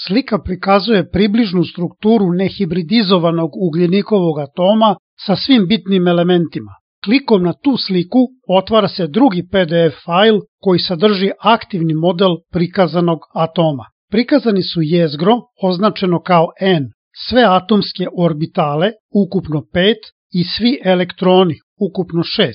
Slika prikazuje približnu strukturu nehibridizovanog ugljenikovog atoma sa svim bitnim elementima. Klikom na tu sliku otvara se drugi PDF fajl koji sadrži aktivni model prikazanog atoma. Prikazani su jezgro, označeno kao N, sve atomske orbitale, ukupno 5, i svi elektroni, ukupno 6.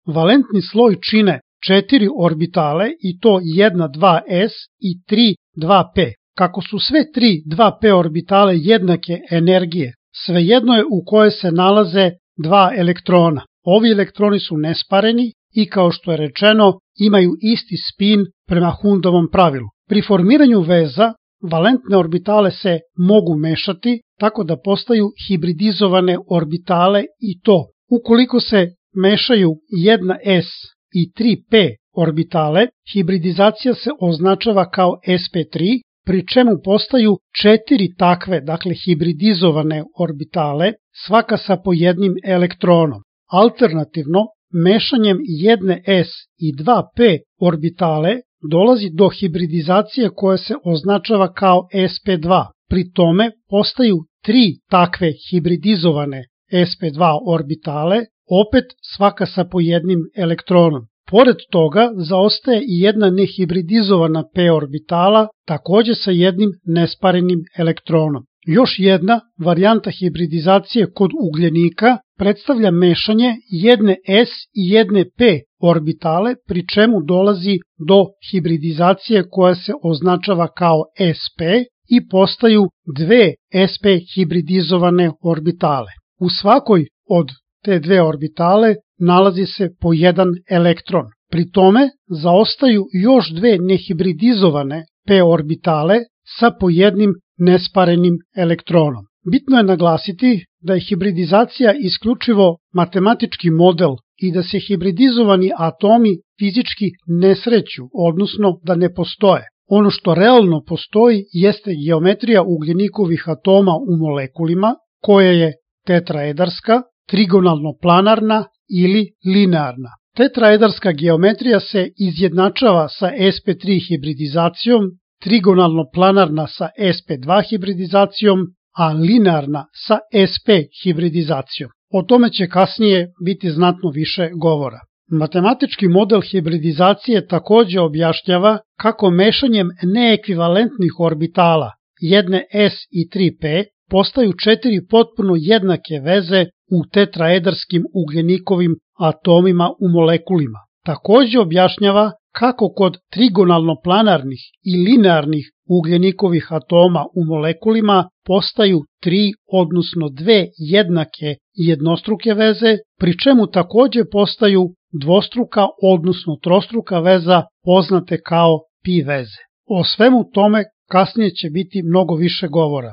Valentni sloj čine 4 orbitale i to 1, 2s i 3, 2p. Kako su sve 3, 2p orbitale jednake energije, svejedno je u kojoj se nalaze 2 elektrona. Ovi elektroni su nespareni i, kao što je rečeno, imaju isti spin prema Hundovom pravilu. Pri formiranju veza, valentne orbitale se mogu mešati tako da postaju hibridizovane orbitale i to. Ukoliko se mešaju 1s i 3p orbitale, hibridizacija se označava kao sp3, pri čemu postaju 4 takve, dakle hibridizovane orbitale, svaka sa po jednim elektronom. Alternativno, mešanjem 1s i 2p orbitale dolazi do hibridizacije koja se označava kao sp2. Pri tome postaju 3 takve hibridizovane sp2 orbitale, opet svaka sa po jednim elektronom. Pored toga zaostaje i jedna nehibridizovana p orbitala, takođe sa jednim nesparenim elektronom. Još jedna varijanta hibridizacije kod ugljenika predstavlja mešanje jedne s i jedne p orbitale, pri čemu dolazi do hibridizacije koja se označava kao sp i postaju dve sp hibridizovane orbitale. U svakoj od te dve orbitale nalazi se po jedan elektron. Pri tome zaostaju još dve nehibridizovane p orbitale sa po jednim nesparenim elektronom. Bitno je naglasiti da je hibridizacija isključivo matematički model i da se hibridizovani atomi fizički ne sreću, odnosno da ne postoje. Ono što realno postoji jeste geometrija ugljenikovih atoma u molekulima, koja je tetraedarska, trigonalno-planarna ili linearna. Tetraedarska geometrija se izjednačava sa sp3 hibridizacijom, trigonalno-planarna sa sp2 hibridizacijom, a linearna sa sp hibridizacijom. O tome će kasnije biti znatno više govora. Matematički model hibridizacije takođe objašnjava kako mešanjem neekvivalentnih orbitala jedne s i 3p postaju 4 potpuno jednake veze u tetraedarskim ugljenikovim atomima u molekulima. Takođe objašnjava kako kod trigonalno-planarnih i linearnih ugljenikovih atoma u molekulima postaju 3, odnosno 2 jednake jednostruke veze, pri čemu takođe postaju dvostruka, odnosno trostruka veza poznate kao pi veze. O svemu tome kasnije će biti mnogo više govora.